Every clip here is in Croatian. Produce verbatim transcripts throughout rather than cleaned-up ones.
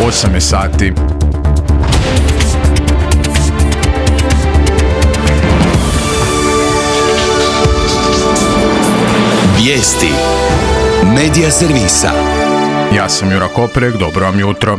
osam je sati. Vijesti Medija servisa. Ja sam Jura Koprek, dobro vam jutro.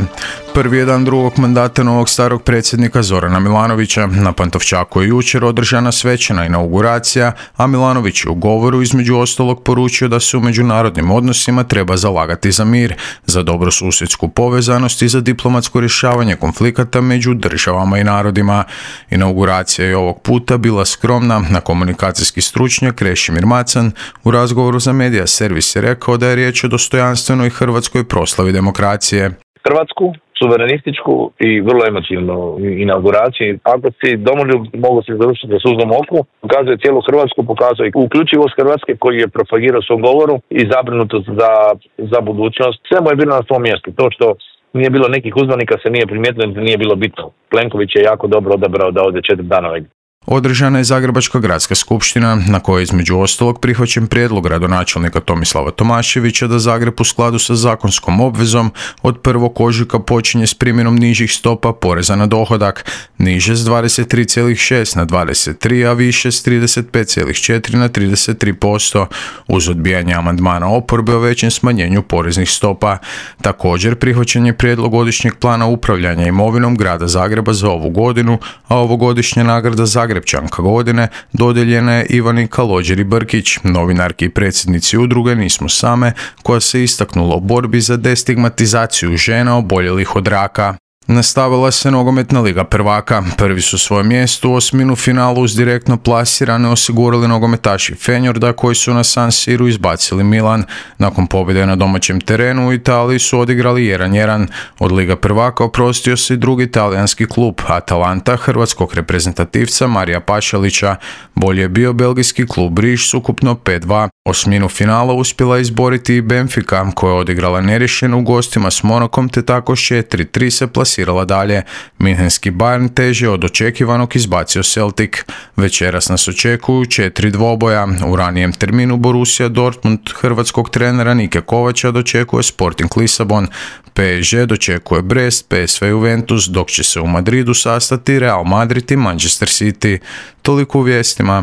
Prvi je dan drugog mandata novog starog predsjednika Zorana Milanovića. Na Pantovčaku je jučer održana svečana inauguracija, a Milanović je u govoru između ostalog poručio da se u međunarodnim odnosima treba zalagati za mir, za dobrosusjedsku povezanost i za diplomatsko rješavanje konflikata među državama i narodima. Inauguracija je ovog puta bila skromna, na komunikacijski stručnjak Krešimir Macan u razgovoru za Medija servis je rekao da je riječ o dostojanstvenoj hrvatskoj proslavi demokracije. Hrvatsku, suverenističku i vrlo emotivnu inauguraciju. Ako si domoljub, mogu se završiti za suzom oku, pokazuje cijelu Hrvatsku, pokazuje uključivost Hrvatske koji je propagirao u svom govoru i zabrinutost za, za budućnost. Sve mu je bilo na svom mjestu. To što nije bilo nekih uzvanika se nije primijetilo, nije bilo bitno. Plenković je jako dobro odabrao da ode četiri dana ovdje. Održana je Zagrebačka gradska skupština na kojoj je između ostalog prihvaćen prijedlog gradonačelnika Tomislava Tomaševića da Zagreb u skladu sa zakonskom obvezom od prvog ožujka počinje s primjenom nižih stopa poreza na dohodak, niže s dvadeset tri zarez šest na dvadeset tri, a više s trideset pet zarez četiri na trideset tri posto, uz odbijanje amandmana oporbe o većem smanjenju poreznih stopa. Također prihvaćen je prijedlog godišnjeg plana upravljanja imovinom grada Zagreba za ovu godinu, a ovogodišnja nagrada Zagreb Grepčanka godine dodijeljena je Ivani Kalođeri-Brkić, novinarki i predsjednici udruge Nismo same, koja se istaknula u borbi za destigmatizaciju žena oboljelih od raka. Nastavila se nogometna liga prvaka. Prvi su svoje mjesto u osminu finalu uz direktno plasirane osigurali nogometaši Fenjorda koji su na San Siru izbacili Milan. Nakon pobjede na domaćem terenu u Italiji su odigrali jedan jedan. Od liga prvaka oprostio se i drugi talijanski klub Atalanta hrvatskog reprezentativca Marija Pašalića. Bolje je bio belgijski klub Riš s ukupno pet dva. Osminu finala uspjela izboriti i Benfica koja je odigrala neriješeno u gostima s Monakom te tako s četiri tri se plasirala dalje. Minhenski Bayern teže od očekivanog izbacio Celtic. Večeras nas očekuju četiri dvoboja. U ranijem terminu Borussia Dortmund hrvatskog trenera Nike Kovača dočekuje Sporting Lisabon. P S G dočekuje Brest, P S V Juventus, dok će se u Madridu sastati Real Madrid i Manchester City. Toliko u vijestima.